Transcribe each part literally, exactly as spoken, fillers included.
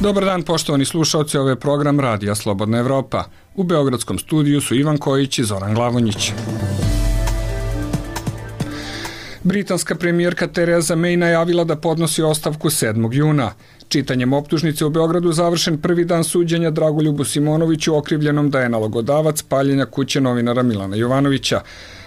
Dobar dan, poštovani slušalci, ovo je program Radija Slobodna Evropa. U beogradskom studiju su Ivan Kojić i Zoran Glavonjić. Britanska premijerka Tereza May najavila da podnosi ostavku sedmog juna. Čitanjem optužnice u Beogradu završen prvi dan suđenja Dragoljubu Simonoviću okrivljenom da je nalogodavac paljenja kuće novinara Milana Jovanovića.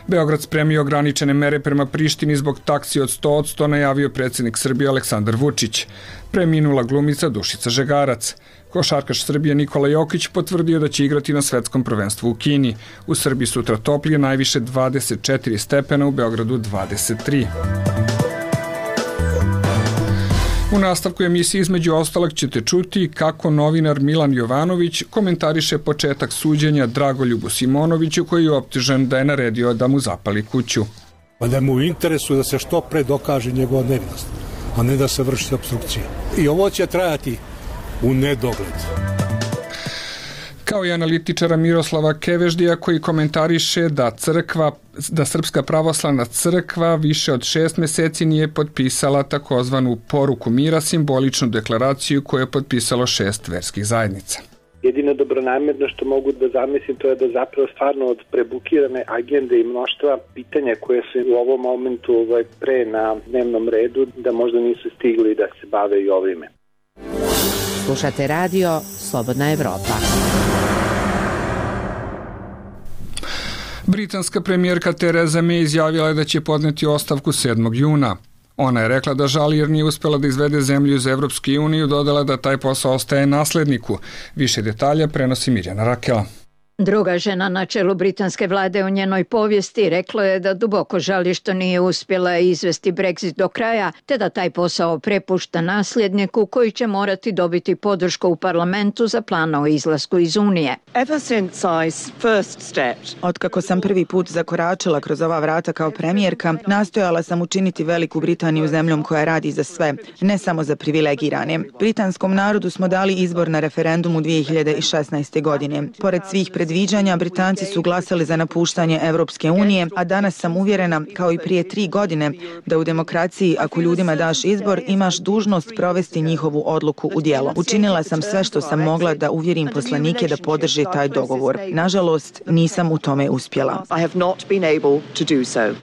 Beograd spremio ograničene mere prema Prištini zbog taksi od sto posto, najavio predsjednik Srbije Aleksandar Vučić. Preminula glumica Dušica Žegarac. Košarkaš Srbije Nikola Jokić potvrdio da će igrati na svetskom prvenstvu u Kini. U Srbiji sutra toplije, najviše dvadeset četiri stepena, u Beogradu dvadeset tri. U nastavku emisije između ostalog ćete čuti kako novinar Milan Jovanović komentariše početak suđenja Dragoljubu Simonoviću, koji je optužen da je naredio da mu zapali kuću. Pa da mu u interesu da se što pre dokaže njegova nevinost, a ne da se vrši opstrukcija. I ovo će trajati u nedogled. Kao i analitičara Miroslava Keveždija, koji komentariše da crkva, da Srpska pravoslavna crkva više od šest meseci nije potpisala takozvanu poruku mira, simboličnu deklaraciju koju je potpisalo šest verskih zajednica. Jedino dobronamjerno što mogu da zamislim to je da zapravo stvarno od prebukirane agende i mnoštva pitanja koje su u ovom momentu ovaj, pre na dnevnom redu, da možda nisu stigli da se bave i ovime. Slušate radio Slobodna Evropa. Britanska premijerka Tereza May izjavila je da će podneti ostavku sedmog juna. Ona je rekla da žali jer nije uspela da izvede zemlju iz Evropske unije, dodala da taj posao ostaje nasledniku. Više detalja prenosi Mirjana Rakela. Druga žena na čelu britanske vlade u njenoj povijesti rekla je da duboko žali što nije uspjela izvesti Brexit do kraja, te da taj posao prepušta nasljedniku koji će morati dobiti podršku u parlamentu za plan o izlasku iz Unije. Otkako sam prvi put zakoračila kroz ova vrata kao premijerka, nastojala sam učiniti Veliku Britaniju zemljom koja radi za sve, ne samo za privilegirane. Britanskom narodu smo dali izbor na referendumu dvije hiljade šesnaeste. godine. Pored svih pred Predviđanja, Britanci su glasali za napuštanje Evropske unije, a danas sam uvjerena, kao i prije tri godine, da u demokraciji, ako ljudima daš izbor, imaš dužnost provesti njihovu odluku u djelo. Učinila sam sve što sam mogla da uvjerim poslanike da podrže taj dogovor. Nažalost, nisam u tome uspjela.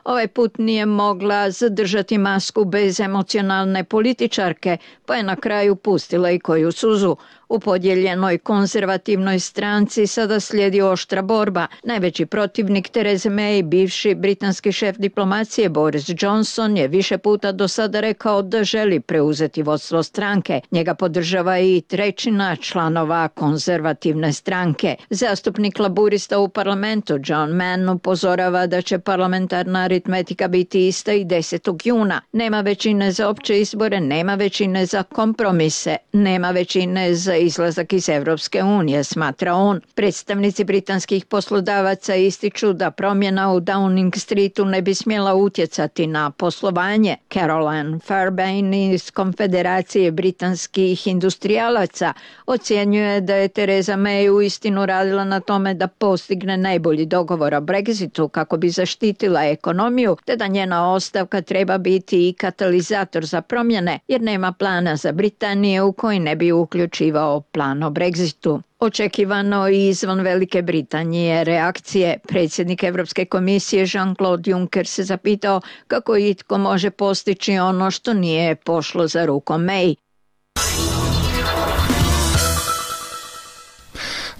Ovaj put nije mogla zadržati masku bez emocionalne političarke, pa je na kraju pustila i koju suzu. U podijeljenoj konzervativnoj stranci sada slijedi oštra borba. Najveći protivnik Tereze May, bivši britanski šef diplomacije Boris Johnson, je više puta do sada rekao da želi preuzeti vodstvo stranke. Njega podržava i trećina članova konzervativne stranke. Zastupnik laburista u parlamentu John Mann upozorava da će parlamentarna aritmetika biti ista i desetog juna. Nema većine za opće izbore, nema većine za kompromise, nema većine za izlazak iz Evropske unije, smatra on. Predstavnici britanskih poslodavaca ističu da promjena u Downing Streetu ne bi smjela utjecati na poslovanje. Caroline Fairbairn iz Konfederacije britanskih industrijalaca ocjenjuje da je Tereza May uistinu radila na tome da postigne najbolji dogovor o Brexitu kako bi zaštitila ekonomiju, te da njena ostavka treba biti i katalizator za promjene, jer nema plana za Britaniju u koji ne bi uključivao plan o Brexitu. Očekivano i izvan Velike Britanije reakcije. Predsjednik Europske komisije Jean-Claude Juncker se zapitao kako itko može postići ono što nije pošlo za rukom May.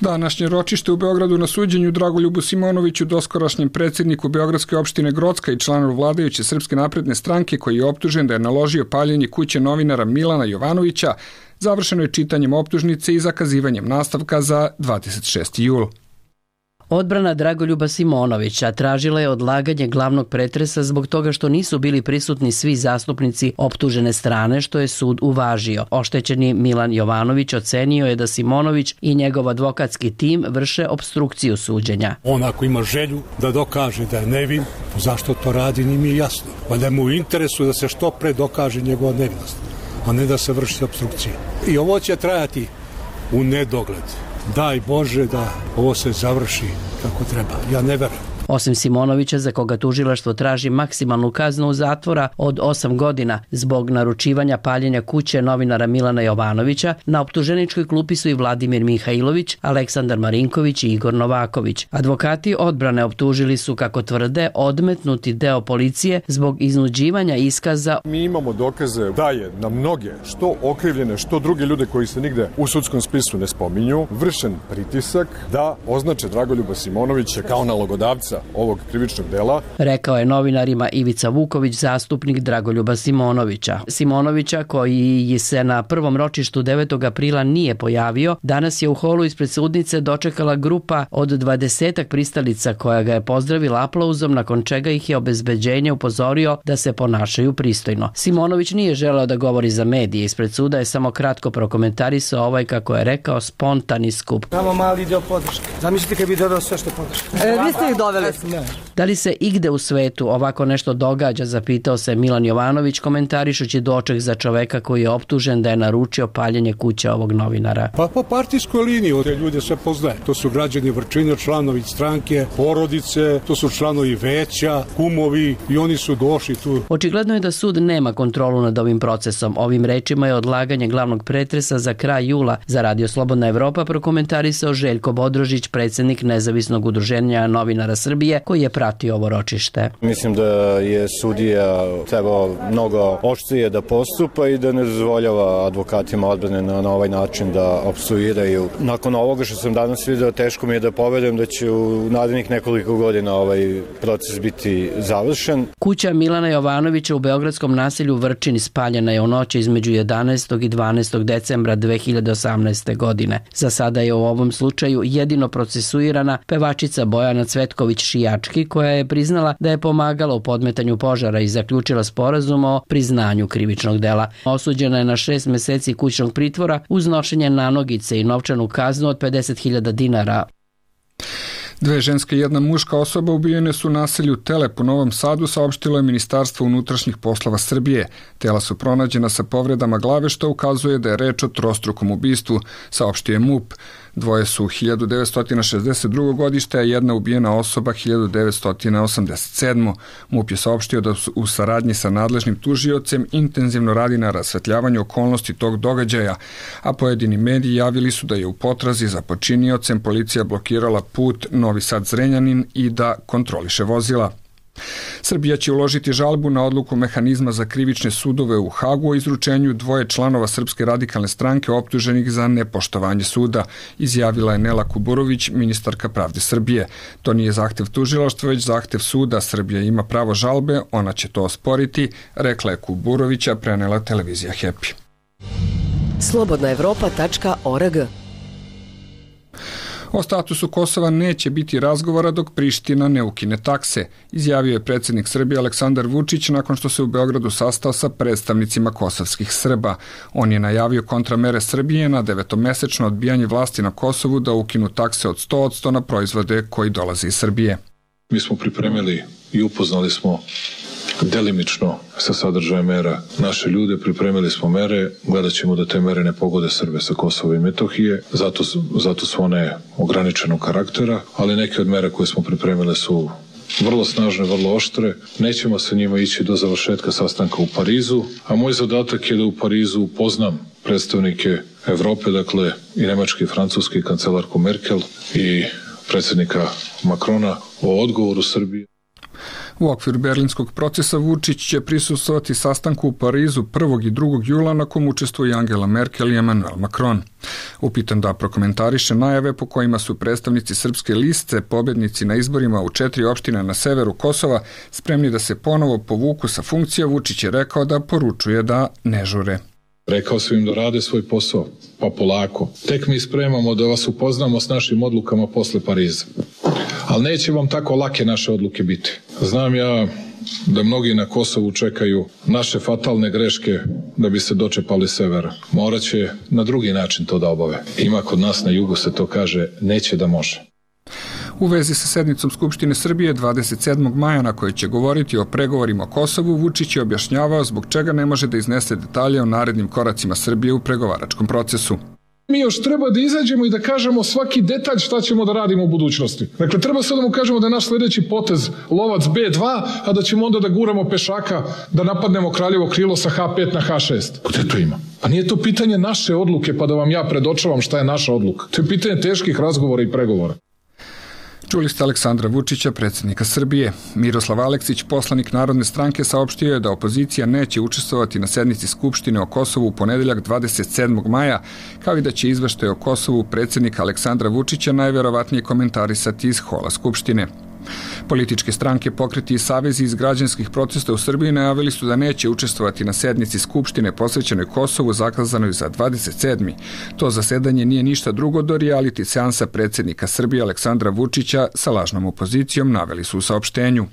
Današnje ročište u Beogradu na suđenju Dragoljubu Simonoviću, doskorašnjem predsjedniku Beogradske opštine Grocka i članu vladajuće Srpske napredne stranke, koji je optužen da je naložio paljenje kuće novinara Milana Jovanovića, završeno je čitanjem optužnice i zakazivanjem nastavka za dvadeset šesti jul. Odbrana Dragoljuba Simonovića tražila je odlaganje glavnog pretresa zbog toga što nisu bili prisutni svi zastupnici optužene strane, što je sud uvažio. Oštećeni Milan Jovanović ocenio je da Simonović i njegov advokatski tim vrše opstrukciju suđenja. On ako ima želju da dokaže da je nevin, zašto to radi, nije mi jasno. Valjda mu u interesu da se što pre dokaže njegova nevinost, a ne da se vrši opstrukcija. I ovo će trajati u nedogled. Daj Bože da ovo se završi kako treba. Ja ne verujem. Osim Simonovića, za koga tužilaštvo traži maksimalnu kaznu zatvora od osam godina zbog naručivanja paljenja kuće novinara Milana Jovanovića, na optuženičkoj klupi su i Vladimir Mihajlović, Aleksandar Marinković i Igor Novaković. Advokati odbrane optužili su, kako tvrde, odmetnuti deo policije zbog iznuđivanja iskaza. Mi imamo dokaze da je na mnoge, što okrivljene, što druge ljude koji se nigde u sudskom spisu ne spominju, vršen pritisak da označe Dragoljuba Simonovića kao nalogodavca ovog krivičnog dela. Rekao je novinarima Ivica Vuković, zastupnik Dragoljuba Simonovića. Simonovića, koji se na prvom ročištu devetog aprila nije pojavio, danas je u holu ispred sudnice dočekala grupa od dvadesetak pristalica koja ga je pozdravila aplauzom, nakon čega ih je obezbeđenje upozorio da se ponašaju pristojno. Simonović nije želeo da govori za medije. Ispred suda je samo kratko prokomentarisao ovaj, kako je rekao, spontani skup. Samo mali dio podrške. Zamislite kad bi dodao sve što podrške. E, vi ste ih doveli. Da li se igde u svetu ovako nešto događa, zapitao se Milan Jovanović, komentarišući doček za čoveka koji je optužen da je naručio paljenje kuće ovog novinara. Pa po partijskoj liniji te ljude sve poznaje. To su građani Vrčina, članovi stranke, porodice, to su članovi veća, kumovi i oni su došli tu. Očigledno je da sud nema kontrolu nad ovim procesom. Ovim rečima je odlaganje glavnog pretresa za kraj jula za Radio Slobodna Evropa prokomentarisao Željko Bodrožić, predsjednik Nezavisnog udruženja novinara Srbije, koji je pratio ovo ročište. Mislim da je sudija trebao mnogo oštrije da postupa i da ne dozvoljava advokatima odbrane na, na ovaj način da opstruiraju. Nakon ovoga što sam danas vidio, teško mi je da poverujem da će u narednih nekoliko godina ovaj proces biti završen. Kuća Milana Jovanovića u beogradskom naselju Vrčin spaljena je u noći između jedanaestog i dvanaestog decembra dve hiljade osamnaeste. godine. Za sada je u ovom slučaju jedino procesuirana pevačica Bojana Cvetković-Šijački, koja je priznala da je pomagala u podmetanju požara i zaključila sporazum o priznanju krivičnog dela. Osuđena je na šest meseci kućnog pritvora uz nošenje nanogice i novčanu kaznu od pedeset hiljada dinara. Dve ženske i jedna muška osoba ubijene su u naselju Telep u Novom Sadu, saopštilo je Ministarstvo unutrašnjih poslova Srbije. Tela su pronađena sa povredama glave, što ukazuje da je reč o trostrukom ubistvu, saopštio je MUP. Dvoje su hiljadu devetsto šezdeset drugo. godište, a jedna ubijena osoba hiljadu devetsto osamdeset sedmo. MUP je saopštio da su u saradnji sa nadležnim tužiocem intenzivno radi na rasvetljavanju okolnosti tog događaja, a pojedini mediji javili su da je u potrazi za počiniocem policija blokirala put Novi Sad-Zrenjanin i da kontroliše vozila. Srbija će uložiti žalbu na odluku mehanizma za krivične sudove u Hagu o izručenju dvoje članova Srpske radikalne stranke optuženih za nepoštovanje suda, izjavila je Nela Kuburović, ministarka pravde Srbije. To nije zahtev tužilaštva, već zahtev suda. Srbija ima pravo žalbe, ona će to osporiti, rekla je Kuburovića, prenela televizija Happy. slobodna evropa tačka org. O statusu Kosova neće biti razgovora dok Priština ne ukine takse, izjavio je predsjednik Srbije Aleksandar Vučić nakon što se u Beogradu sastao sa predstavnicima kosovskih Srba. On je najavio kontramere Srbije na devetomesečno odbijanje vlasti na Kosovu da ukinu takse od sto posto na proizvode koji dolaze iz Srbije. Mi smo pripremili i upoznali smo delimično sa sadržajem mera naše ljude, pripremili smo mere, gledat ćemo da te mere ne pogode Srbe sa Kosova i Metohije, zato, zato su one ograničenog karaktera, ali neke od mera koje smo pripremile su vrlo snažne, vrlo oštre. Nećemo sa njima ići do završetka sastanka u Parizu, a moj zadatak je da u Parizu upoznam predstavnike Evrope, dakle i Nemačke i Francuske, i kancelarku Merkel i predsjednika Makrona o odgovoru Srbije. U okviru berlinskog procesa Vučić će prisustvovati sastanku u Parizu prvog i drugog jula na kom učestvuju Angela Merkel i Emmanuel Macron. Upitan da prokomentariše najave po kojima su predstavnici srpske liste pobednici na izborima u četiri opštine na severu Kosova spremni da se ponovo povuku sa funkcija, Vučić je rekao da poručuje da ne žure. Rekao sam im da rade svoj posao, pa polako. Tek mi spremamo da vas upoznamo s našim odlukama posle Pariza. Ali neće vam tako lake naše odluke biti. Znam ja da mnogi na Kosovu čekaju naše fatalne greške da bi se dočepali severa. Morat će na drugi način to da obave. Ima kod nas na jugu se to kaže neće da može. U vezi sa sednicom Skupštine Srbije dvadeset sedmog maja na kojoj će govoriti o pregovorima o Kosovu, Vučić je objašnjavao zbog čega ne može da iznese detalje o narednim koracima Srbije u pregovaračkom procesu. Mi još treba da izađemo i da kažemo svaki detalj šta ćemo da radimo u budućnosti. Dakle, treba sad da mu kažemo da je naš sledeći potez lovac be dva, a da ćemo onda da guramo pešaka, da napadnemo Kraljevo krilo sa ha pet na ha šest. Gde to ima? Pa nije to pitanje naše odluke, pa da vam ja predočavam šta je naša odluka. To je pitanje teških razgovora i pregovora. Čuli ste Aleksandra Vučića, predsjednika Srbije. Miroslav Aleksić, poslanik Narodne stranke, saopštio je da opozicija neće učestvovati na sednici Skupštine o Kosovu u ponedeljak dvadeset sedmog maja, kao i da će izveštaj o Kosovu predsjednika Aleksandra Vučića najverovatnije komentarisati iz hola Skupštine. Političke stranke, pokreti i savezi iz građanskih protesta u Srbiji najavili su da neće učestvovati na sednici Skupštine posvećenoj Kosovu zakazanoj za dvadeset sedmi To zasedanje nije ništa drugo do reality seansa predsjednika Srbije Aleksandra Vučića sa lažnom opozicijom, naveli su u saopštenju.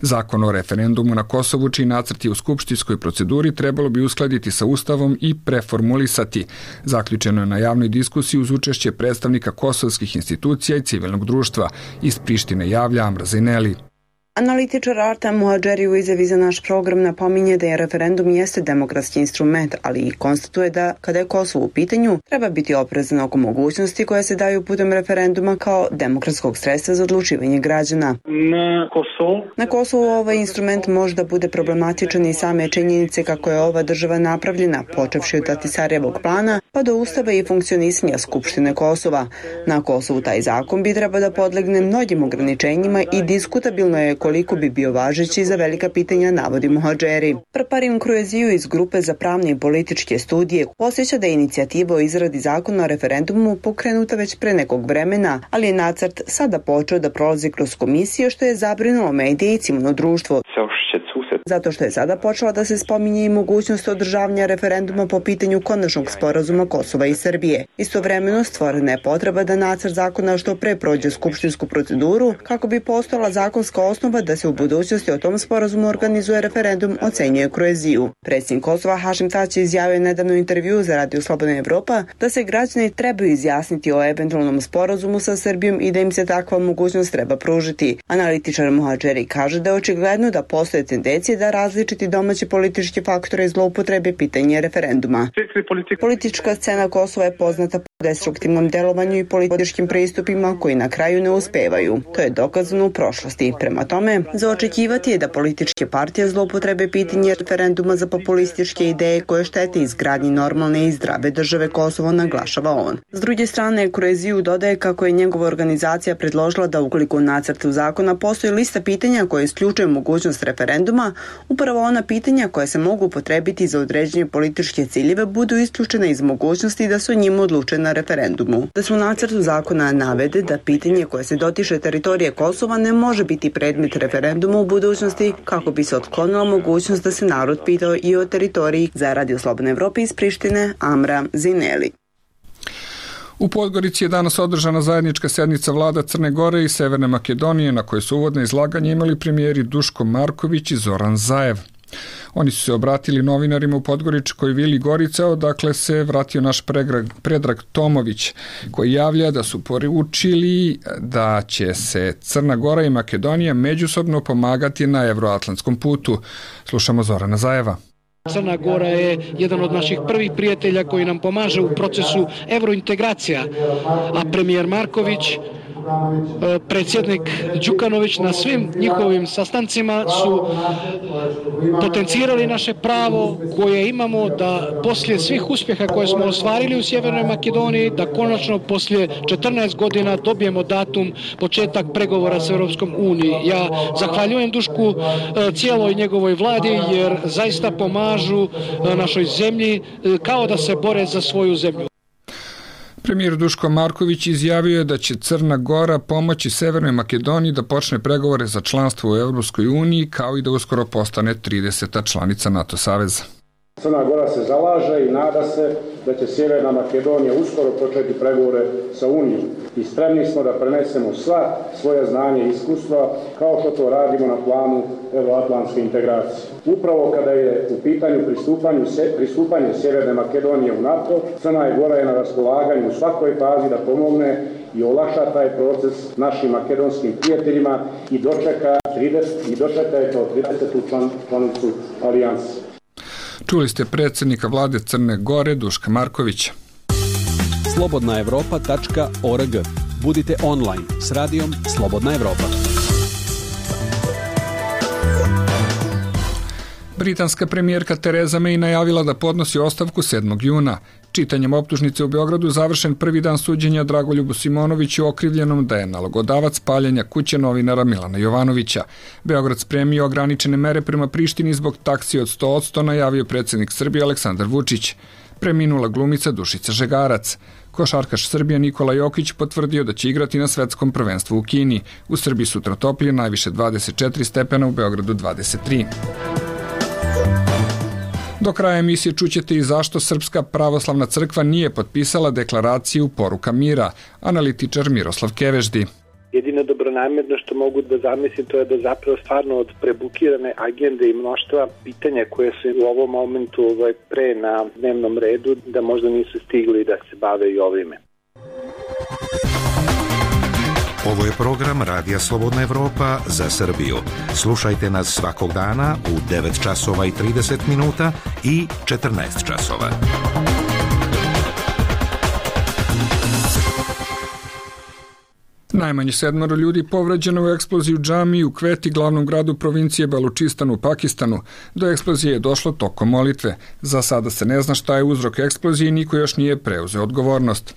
Zakon o referendumu na Kosovu, čiji nacrt je u skupštinskoj proceduri, trebalo bi uskladiti sa Ustavom i preformulisati. Zaključeno je na javnoj diskusiji uz učešće predstavnika kosovskih institucija i civilnog društva. Iz Prištine javlja Amra Zineli. Analitičar Artem Muhadžeri u izjavi za naš program napominje da je referendum jeste demokratski instrument, ali i konstatuje da, kada je Kosovo u pitanju, treba biti oprezan oko mogućnosti koje se daju putem referenduma kao demokratskog sredstva za odlučivanje građana. Na Kosovu? Na Kosovu ovaj instrument može da bude problematičan i same činjenice kako je ova država napravljena, počevši od Ahtisarijevog plana, pa do ustava i funkcionisanja Skupštine Kosova. Na Kosovu taj zakon bi treba da podlegne mnogim ograničenjima i diskutabilno je koliko bi bio važeći za velika pitanja, navodi Muhadžeri. Prparin Krueziju iz grupe za pravne i političke studije osjeća da je inicijativa o izradi zakona o referendumu pokrenuta već pre nekog vremena, ali je nacrt sada počeo da prolazi kroz komisiju, što je zabrinulo medije i civilno društvo. Zato što je sada počela da se spominje i mogućnost održavanja referenduma po pitanju konačnog sporazuma Kosova i Srbije. Istovremeno stvorena je potreba da nacrt zakona što pre prođe skupštinsku proceduru kako bi postojala zakonska osnova da se u budućnosti o tom sporazumu organizuje referendum, ocenjuje Krueziju. Predsjednik Kosova Hašim Tači izjavio nedavno u intervju za Radio Slobodna Evropa da se građani trebaju izjasniti o eventualnom sporazumu sa Srbijom i da im se takva mogućnost treba pružiti. Analitičar Muhadžeri kaže da je očigledno da postoje tendencije da različiti domaći politički faktori zloupotrebe pitanje referenduma. Politička scena Kosova je poznata po destruktivnom delovanju i političkim pristupima koji na kraju ne uspevaju. To je dokazano u prošlosti. Prema tome, za očekivati je da političke partije zloupotrebe pitanje referenduma za populističke ideje koje štete izgradnji normalne i zdrave države Kosovo, naglašava on. S druge strane, Krueziju dodaje kako je njegova organizacija predložila da ukoliko u nacrtu zakona postoji lista pitanja koje isključuje mogućnost referenduma, upravo ona pitanja koja se mogu upotrebiti za određenje političke ciljeve budu isključena iz mogućnosti da se o njima odluče na referendumu. Da se u nacrtu zakona navede da pitanje koje se dotiče teritorije Kosova ne može biti predmet referenduma u budućnosti kako bi se otklonila mogućnost da se narod pitao i o teritoriji. Za Radio Slobodne Evrope iz Prištine, Amra Zineli. U Podgorici je danas održana zajednička sednica vlada Crne Gore i Severne Makedonije, na kojoj su uvodne izlaganje imali premijeri Duško Marković i Zoran Zaev. Oni su se obratili novinarima u Podgoričkoj vili Gorica, odakle se vratio naš Predrag, Predrag Tomović, koji javlja da su poručili da će se Crna Gora i Makedonija međusobno pomagati na evroatlantskom putu. Slušamo Zorana Zaeva. Crna Gora je jedan od naših prvih prijatelja koji nam pomaže u procesu evrointegracija, a premijer Marković, predsjednik Đukanović na svim njihovim sastancima su potencirali naše pravo koje imamo da poslije svih uspjeha koje smo ostvarili u Sjevernoj Makedoniji, da konačno poslije četrnaest godina dobijemo datum početak pregovora s Europskom unijom. Ja zahvaljujem Dušku cijeloj njegovoj vladi jer zaista pomažu našoj zemlji kao da se bore za svoju zemlju. Premijer Duško Marković izjavio je da će Crna Gora pomoći Severnoj Makedoniji da počne pregovore za članstvo u Europskoj uniji, kao i da uskoro postane trideseta članica NATO saveza. Crna Gora se zalaže i nada se da će Sjeverna Makedonija uskoro početi pregovore sa Unijom i spremni smo da prenesemo sva svoja znanja i iskustva kao što to radimo na planu evroatlantske integracije. Upravo kada je u pitanju pristupanje Sjeverne Makedonije u NATO, Crna Gora je na raspolaganju u svakoj fazi da pomogne i olakša taj proces našim makedonskim prijateljima i dočeka, trideset, i dočeka je kao tridesetu član, članicu alijanse. Čuli ste predsjednika vlade Crne Gore Duška Markovića. slobodna evropa tačka org. Budite online s radijom Slobodna Evropa. Britanska premijerka Tereza May najavila da podnosi ostavku sedmog juna. Čitanjem optužnice u Beogradu završen prvi dan suđenja Dragoljubu Simonoviću okrivljenom da je nalogodavac paljenja kuće novinara Milana Jovanovića. Beograd spremio ograničene mere prema Prištini zbog taksi od sto posto, najavio predsjednik Srbije Aleksandar Vučić. Preminula glumica Dušica Žegarac. Košarkaš Srbija Nikola Jokić potvrdio da će igrati na svetskom prvenstvu u Kini. U Srbiji sutra toplije, najviše dvadeset četiri stepena, u Beogradu dvadeset tri. Do kraja emisije čućete i zašto Srpska pravoslavna crkva nije potpisala deklaraciju Poruka mira, analitičar Miroslav Keveždi. Jedino dobronamjerno što mogu da zamislim to je da zapravo stvarno od prebukirane agende i mnoštva pitanja koje su u ovom momentu ovaj, pre na dnevnom redu, da možda nisu stigli da se bave i ovime. Ovo je program Radija Slobodna Evropa za Srbiju. Slušajte nas svakog dana u devet časova i trideset minuta i četrnaest časova. Najmanje sedmoro ljudi povređeno u eksploziji u džamiji u Kveti, glavnom gradu provincije Balučistan u Pakistanu. Do eksplozije je došlo tokom molitve. Za sada se ne zna šta je uzrok eksplozije i niko još nije preuzeo odgovornost.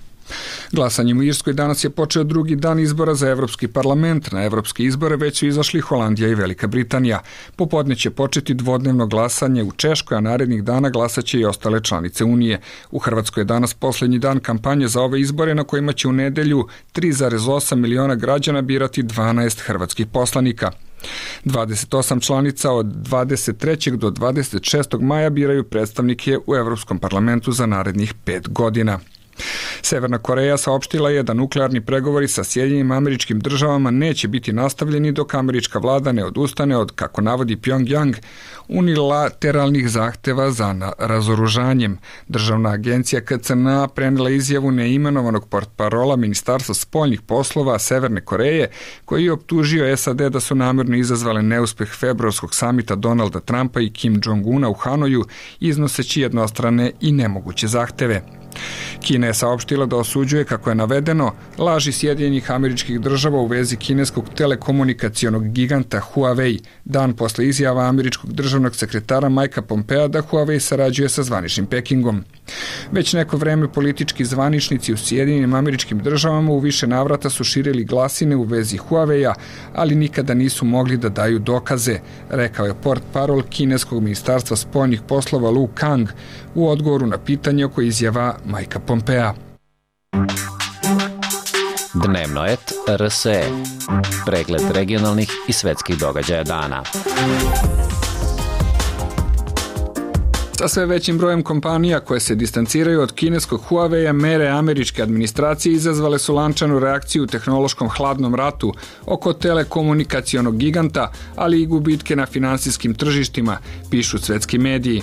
Glasanjem u Irskoj danas je počeo drugi dan izbora za Evropski parlament. Na evropske izbore već su izašli Holandija i Velika Britanija. Popodne će početi dvodnevno glasanje u Češkoj, a narednih dana glasaće i ostale članice Unije. U Hrvatskoj je danas posljednji dan kampanje za ove izbore na kojima će u nedelju tri zarez osam miliona građana birati dvanaest hrvatskih poslanika. dvadeset osam članica od dvadeset trećeg do dvadeset šestog maja biraju predstavnike u Evropskom parlamentu za narednih pet godina. Severna Koreja saopštila je da nuklearni pregovori sa Sjedinjenim Američkim Državama neće biti nastavljeni dok američka vlada ne odustane od, kako navodi Pjongjang, unilateralnih zahteva za razoružanjem. Državna agencija K C N A prenela izjavu neimenovanog portparola Ministarstva spoljnih poslova Severne Koreje, koji je optužio S A D da su namjerno izazvale neuspeh februarskog samita Donalda Trumpa i Kim Jong-una u Hanoju, iznoseći jednostrane i nemoguće zahteve. Kina je saopštila da osuđuje, kako je navedeno, laži Sjedinjenih Američkih Država u vezi kineskog telekomunikacionog giganta Huawei, dan posle izjava američkog državnog sekretara Mikea Pompea da Huawei sarađuje sa zvaničnim Pekingom. Već neko vreme politički zvaničnici u Sjedinjenim Američkim Državama u više navrata su širili glasine u vezi Huawei-a, ali nikada nisu mogli da daju dokaze, rekao je portparol kineskog ministarstva spoljnih poslova Lu Kang u odgovoru na pitanje oko izjava Mikea Pompea. Dnevno et R S E. Pregled regionalnih i svetskih događaja dana. Sa sve većim brojem kompanija koje se distanciraju od kineskog Huawei-a, mere američke administracije izazvale su lančanu reakciju u tehnološkom hladnom ratu oko telekomunikacionog giganta, ali i gubitke na finansijskim tržištima, pišu svetski mediji.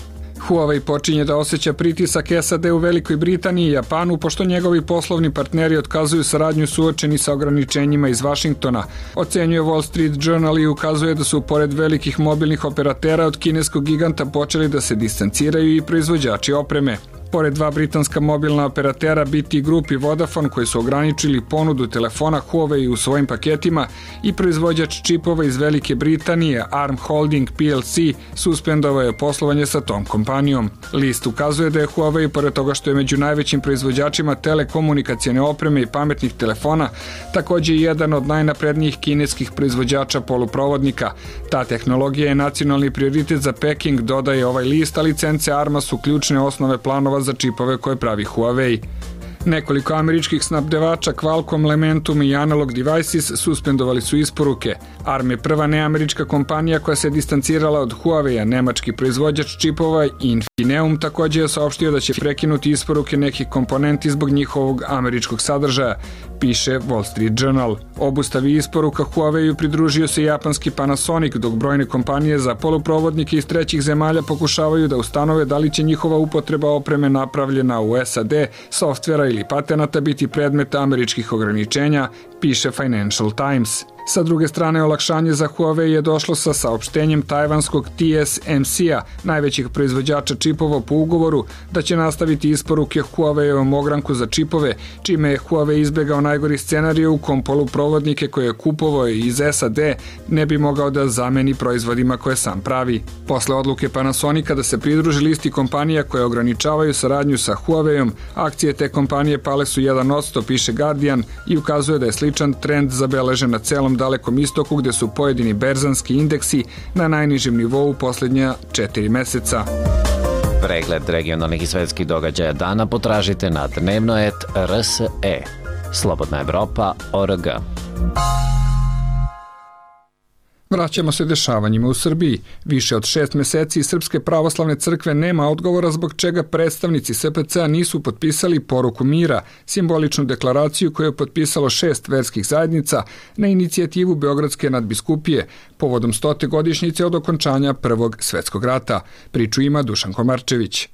Huawei počinje da osjeća pritisak S A D u Velikoj Britaniji i Japanu, pošto njegovi poslovni partneri otkazuju saradnju suočeni sa ograničenjima iz Vašingtona. Ocenjuje Wall Street Journal i ukazuje da su pored velikih mobilnih operatera od kineskog giganta počeli da se distanciraju i proizvođači opreme. Pored dva britanska mobilna operatera B T Group i Vodafone, koji su ograničili ponudu telefona Huawei u svojim paketima, i proizvođač čipova iz Velike Britanije Arm Holding P L C suspendovao je poslovanje sa tom kompanijom. List ukazuje da je Huawei, pored toga što je među najvećim proizvođačima telekomunikacione opreme i pametnih telefona, također jedan od najnaprednijih kineskih proizvođača poluprovodnika. Ta tehnologija je nacionalni prioritet za Peking, dodaje ovaj list, a licence Arma su ključne osnove planova za čipove koje pravi Huawei. Nekoliko američkih snabdevača Qualcomm, Lementum i Analog Devices suspendovali su isporuke. Arm je prva neamerička kompanija koja se distancirala od Huawei-a. Nemački proizvođač čipova Infineum također je saopštio da će prekinuti isporuke nekih komponenti zbog njihovog američkog sadržaja, piše Wall Street Journal. Obustavi isporuka Huawei-u pridružio se japanski Panasonic, dok brojne kompanije za poluprovodnike iz trećih zemalja pokušavaju da ustanove da li će njihova upotreba opreme napravljena u S A D, softvera ili patenata biti predmet američkih ograničenja, piše Financial Times. Sa druge strane, olakšanje za Huawei je došlo sa saopštenjem tajvanskog T S M C-a, najvećih proizvođača čipova po ugovoru, da će nastaviti isporuke Huawei-ovom ogranku za čipove, čime je Huawei izbegao najgori scenarij u kom poluprovodnike koje je kupovao iz S A D ne bi mogao da zameni proizvodima koje sam pravi. Posle odluke Panasonica da se pridruži listi kompanija koje ograničavaju saradnju sa Huawei-om, akcije te kompanije pale su jedan odsto, piše Guardian, i ukazuje da je sličan trend zabeležen na celom Dalekom istoku, gde su pojedini berzanski indeksi na najnižem nivou poslednja četiri meseca. Pregled regionalnih i svetskih događaja dana potražite na dnevnoet R S E. Slobodna Evropa O R G. Vraćamo se dešavanjima u Srbiji. Više od šest meseci Srpske pravoslavne crkve nema odgovora zbog čega predstavnici S P C-a nisu potpisali poruku mira, simboličnu deklaraciju koju je potpisalo šest verskih zajednica na inicijativu Beogradske nadbiskupije povodom stote godišnjice od okončanja Prvog svetskog rata. Priču ima Dušan Komarčević.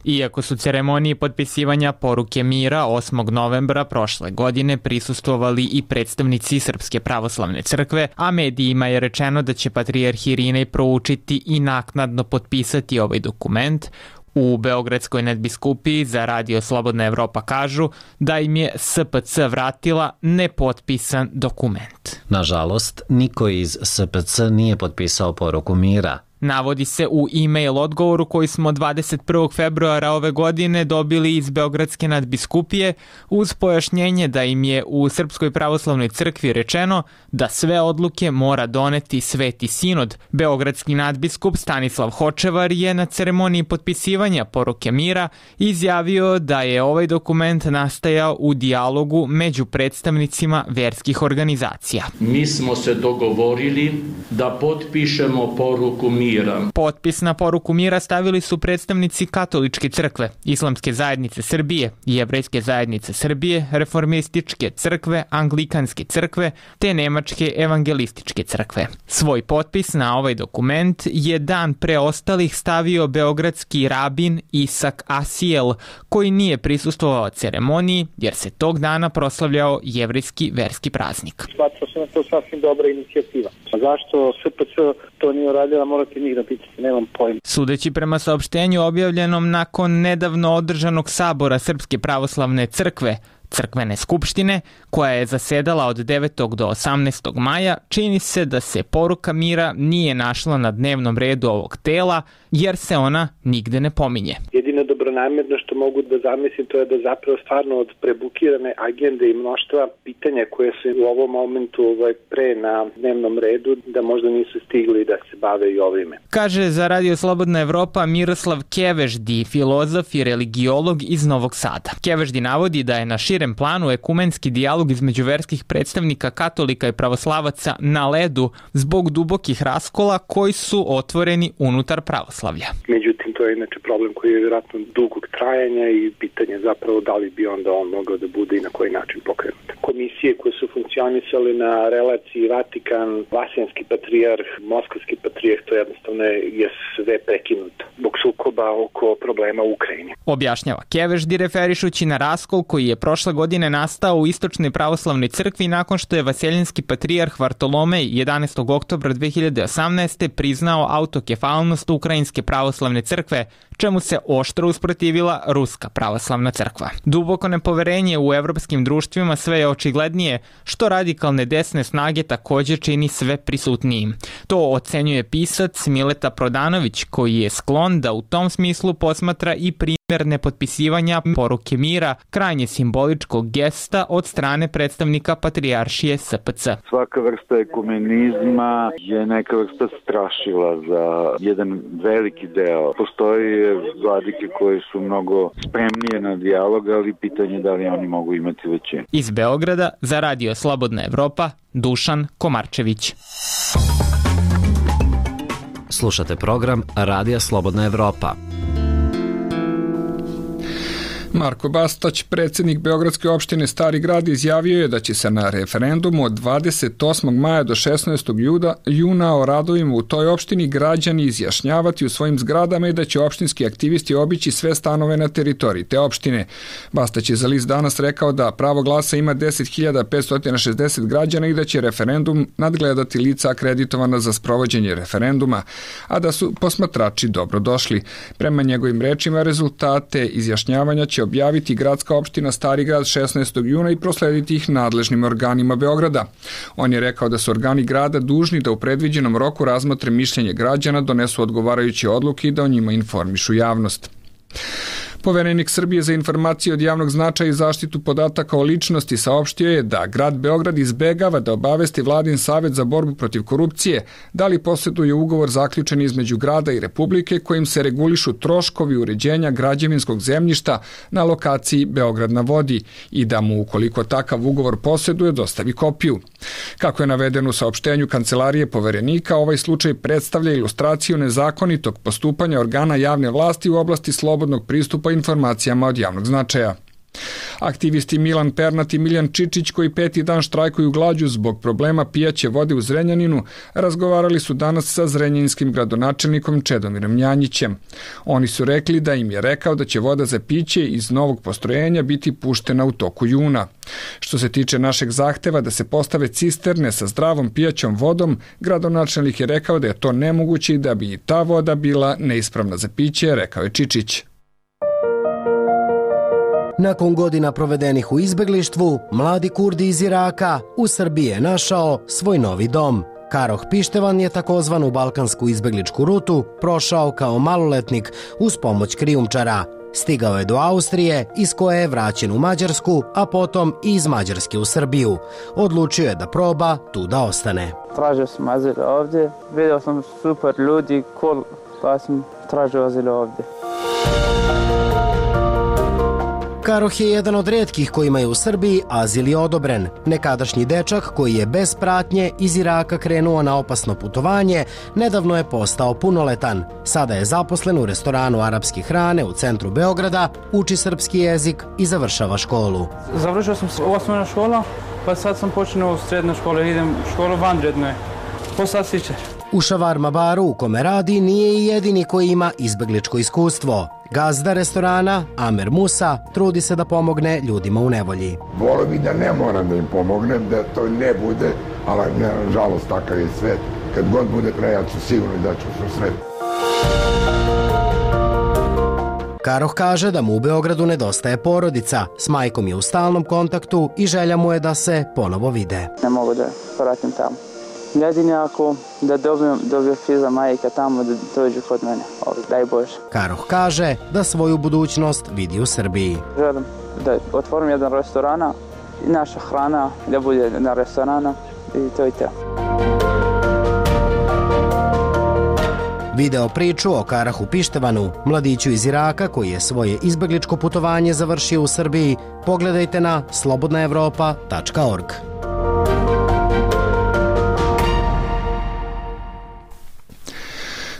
Iako su ceremoniji potpisivanja poruke mira osmog novembra prošle godine prisustvovali i predstavnici Srpske pravoslavne crkve, a medijima je rečeno da će patrijarh Irinej proučiti i naknadno potpisati ovaj dokument, u Beogradskoj nadbiskupiji za Radio Slobodna Evropa kažu da im je S P C vratila nepotpisan dokument. Nažalost, niko iz S P C nije potpisao poruku mira. Navodi se u e-mail odgovoru koji smo dvadeset prvog februara ove godine dobili iz Beogradske nadbiskupije uz pojašnjenje da im je u Srpskoj pravoslavnoj crkvi rečeno da sve odluke mora doneti Sveti sinod. Beogradski nadbiskup Stanislav Hočevar je na ceremoniji potpisivanja poruke mira izjavio da je ovaj dokument nastajao u dijalogu među predstavnicima verskih organizacija. Mi smo se dogovorili da potpišemo poruku mira. Potpis na poruku mira stavili su predstavnici Katoličke crkve, Islamske zajednice Srbije, Jevrejske zajednice Srbije, Reformističke crkve, Anglikanske crkve te Nemačke evangelističke crkve. Svoj potpis na ovaj dokument je dan pre ostalih stavio beogradski rabin Isak Asijel, koji nije prisustvovao ceremoniji jer se tog dana proslavljao jevrejski verski praznik. Smatrao sam da to sasvim dobra inicijativa. A zašto S P C to nije uradila, morate njih da pitate, nemam pojma. Sudeći prema saopštenju objavljenom nakon nedavno održanog sabora Srpske pravoslavne crkve, crkvene skupštine, koja je zasedala od devetog do osamnaestog maja, čini se da se poruka mira nije našla na dnevnom redu ovog tela, jer se ona nigde ne pominje. Jedino dobronamerno što mogu da zamislim to je da zapravo stvarno od prebukirane agende i mnoštva pitanja koje su u ovom momentu ovaj, pre na dnevnom redu, da možda nisu stigli da se bave i ovime. Kaže za Radio Slobodna Evropa Miroslav Keveždi, filozof i religiolog iz Novog Sada. Keveždi navodi da je na širem planu ekumenski dijalog između verskih predstavnika katolika i pravoslavaca na ledu zbog dubokih raskola koji su otvoreni unutar pravoslavlja. Međutim, to je inače problem koji je vjerojatno dugog trajanja i pitanje zapravo da li bi onda on mogao da bude i na koji način pokrenut. Komisije koje su funkcionisale na relaciji Vatikan, Vaseljenski patrijarh, Moskavski patrijarh, to jednostavno je sve prekinuto zbog sukoba oko problema u Ukrajini. Objašnjava Keveždi referišući na raskol koji je prošle godine nastao u Istočnoj pravoslavnoj crkvi nakon što je Vaseljenski patrijarh Vartolomej jedanaestog oktobra dve hiljade osamnaeste. priznao autokefalnost Ukrajinske pravoslavne crkve, čemu se oštro usprotivila Ruska pravoslavna crkva. Duboko nepoverenje u evropskim društvima sve je očiglednije, što radikalne desne snage također čini sve prisutnijim. To ocenjuje pisac Mileta Prodanović, koji je sklon da u tom smislu posmatra i primjer nepotpisivanja poruke mira, krajnje simboličkog gesta od strane predstavnika patrijaršije S P C. Svaka vrsta ekumenizma je neka vrsta strašila za jedan veliki deo. Postoji vladike koji su mnogo spremnije na dijalog, ali pitanje da li oni mogu imati većinu. Iz Beograda za Radio Slobodna Evropa, Dušan Komarčević. Slušate program Radija Slobodna Evropa. Marko Bastać, predsjednik Beogradske opštine Stari Grad, izjavio je da će se na referendumu od dvadeset osmog maja do šesnaestog juna o radovima u toj opštini građani izjašnjavati u svojim zgradama i da će opštinski aktivisti obići sve stanove na teritoriji te opštine. Bastać je za list Danas rekao da pravo glasa ima deset hiljada petsto šezdeset građana i da će referendum nadgledati lica akreditovana za sprovođenje referenduma, a da su posmatrači dobro došli. Prema njegovim rečima, rezultate izjašnjavanja će objaviti gradska opština Stari Grad šesnaestog juna i proslediti ih nadležnim organima Beograda. On je rekao da su organi grada dužni da u predviđenom roku razmotre mišljenje građana, donesu odgovarajuće odluke i da o njima informišu javnost. Poverenik Srbije za informacije od javnog značaja i zaštitu podataka o ličnosti saopštio je da grad Beograd izbegava da obavesti Vladin savet za borbu protiv korupcije da li posjeduje ugovor zaključen između grada i Republike kojim se regulišu troškovi uređenja građevinskog zemljišta na lokaciji Beograd na vodi i da mu, ukoliko takav ugovor posjeduje, dostavi kopiju. Kako je navedeno u saopštenju Kancelarije Poverenika, ovaj slučaj predstavlja ilustraciju nezakonitog postupanja organa javne vlasti u oblasti slobodnog pristupa informacijama od javnog značaja. Aktivisti Milan Pernat i Miljan Čičić, koji peti dan štrajkuju glađu zbog problema pijaće vode u Zrenjaninu, razgovarali su danas sa zrenjaninskim gradonačelnikom Čedomirom Njanjićem. Oni su rekli da im je rekao da će voda za piće iz novog postrojenja biti puštena u toku juna. Što se tiče našeg zahteva da se postave cisterne sa zdravom pijaćom vodom, gradonačelnik je rekao da je to nemoguće i da bi i ta voda bila neispravna za piće, rekao je Čičić. Nakon godina provedenih u izbeglištvu, mladi Kurdi iz Iraka u Srbiji je našao svoj novi dom. Karoh Pištevan je takozvanu balkansku izbegličku rutu prošao kao maloletnik uz pomoć krijumčara. Stigao je do Austrije, iz koje je vraćen u Mađarsku, a potom i iz Mađarske u Srbiju. Odlučio je da proba tu da ostane. Tražio sam azil ovdje, vidio sam super ljudi, cool, pa sam tražio azil ovdje. Karoh je jedan od retkih kojima je u Srbiji azil je odobren. Nekadašnji dečak koji je bez pratnje iz Iraka krenuo na opasno putovanje, nedavno je postao punoletan. Sada je zaposlen u restoranu arapske hrane u centru Beograda, uči srpski jezik i završava školu. Završio sam osnovna škola, pa sad sam počeo u srednju školu, idem u školu vanredno. Postao sičar. U šavarma baru u kome radi nije i jedini koji ima izbegličko iskustvo. Gazda restorana, Amer Musa, trudi se da pomogne ljudima u nevolji. Volio bi da ne moram da im pomognem, da to ne bude, ali nažalost takav je svet. Kad god bude kraj, ja ću sigurno da ću se sretiti. Karoh kaže da mu u Beogradu nedostaje porodica, s majkom je u stalnom kontaktu i želja mu je da se ponovo vide. Ne mogu da vratim tamo. Jedini ako da dobijem, dobijem fiza majka tamo da dođu kod mene, ovdje, daj Bože. Karoh kaže da svoju budućnost vidi u Srbiji. Želim da otvorim jedan restorana i naša hrana da bude na restorana i to je to. Video priču o Karahu Pištevanu, mladiću iz Iraka koji je svoje izbegličko putovanje završio u Srbiji, pogledajte na slobodna evropa tačka org.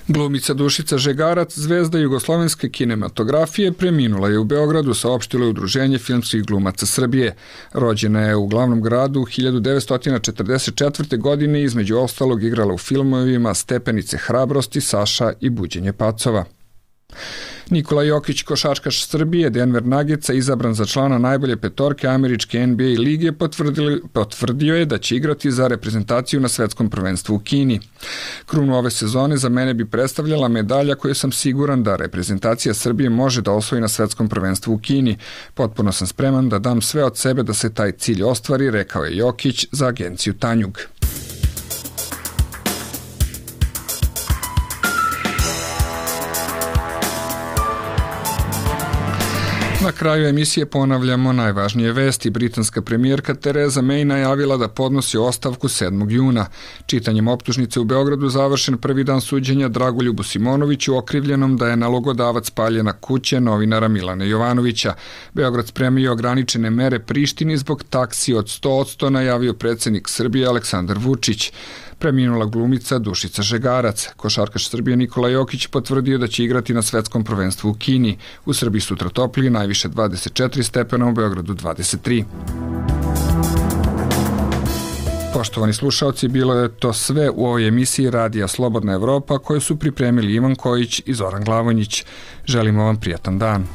Glumica Dušica Žegarac, zvezda jugoslovenske kinematografije, preminula je u Beogradu, saopštilo je Udruženje filmskih glumaca Srbije. Rođena je u glavnom gradu hiljadu devetsto četrdeset četvrte. godine, između ostalog igrala u filmovima Stepenice hrabrosti, Saša i Buđenje pacova. Nikola Jokić, košarkaš Srbije, Denver Nuggetsa, izabran za člana najbolje petorke američke N B A lige, potvrdio je da će igrati za reprezentaciju na svetskom prvenstvu u Kini. Krunu ove sezone za mene bi predstavljala medalja koju sam siguran da reprezentacija Srbije može da osvoji na svetskom prvenstvu u Kini. Potpuno sam spreman da dam sve od sebe da se taj cilj ostvari, rekao je Jokić za agenciju Tanjug. Na kraju emisije ponavljamo najvažnije vesti. Britanska premijerka Tereza May najavila da podnosi ostavku sedmog juna. Čitanjem optužnice u Beogradu završen prvi dan suđenja Dragoljubu Simonoviću, okrivljenom da je nalogodavac paljena kuće novinara Milana Jovanovića. Beograd spremio ograničene mere Prištini zbog taksi od sto posto, najavio predsjednik Srbije Aleksandar Vučić. preminula glumica Dušica Žegarac. Košarkaš Srbije Nikola Jokić potvrdio da će igrati na svetskom prvenstvu u Kini. U Srbiji sutra toplije, najviše dvadeset četiri stepena, u Beogradu dvadeset tri. Poštovani slušaoci, bilo je to sve u ovoj emisiji Radija Slobodna Evropa koju su pripremili Ivan Kojić i Zoran Glavonjić. Želimo vam prijatan dan.